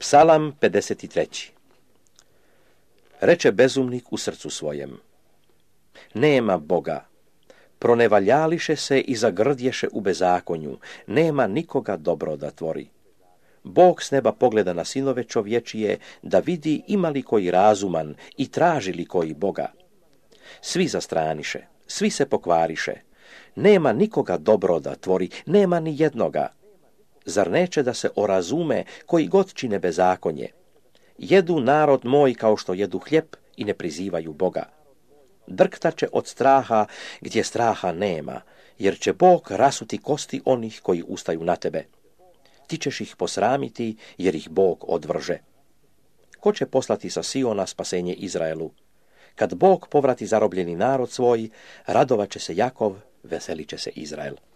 Psalam 53. Reče bezumnik u srcu svojem: nema Boga. Pronevaljališe se i zagrdješe u bezakonju, nema nikoga dobro da tvori. Bog s neba pogleda na sinove čovječije, da vidi ima li koji razuman i traži li koji Boga. Svi zastraniše, svi se pokvariše, nema nikoga dobro da tvori, nema ni jednoga. Zar neće da se orazume koji god čine bezakonje? Jedu narod moj kao što jedu hljeb i ne prizivaju Boga. Drktaće od straha gdje straha nema, jer će Bog rasuti kosti onih koji ustaju na tebe. Ti ćeš ih posramiti, jer ih Bog odvrže. Ko će poslati sa Siona spasenje Izraelu? Kad Bog povrati zarobljeni narod svoj, radovat će se Jakov, veselit će se Izrael.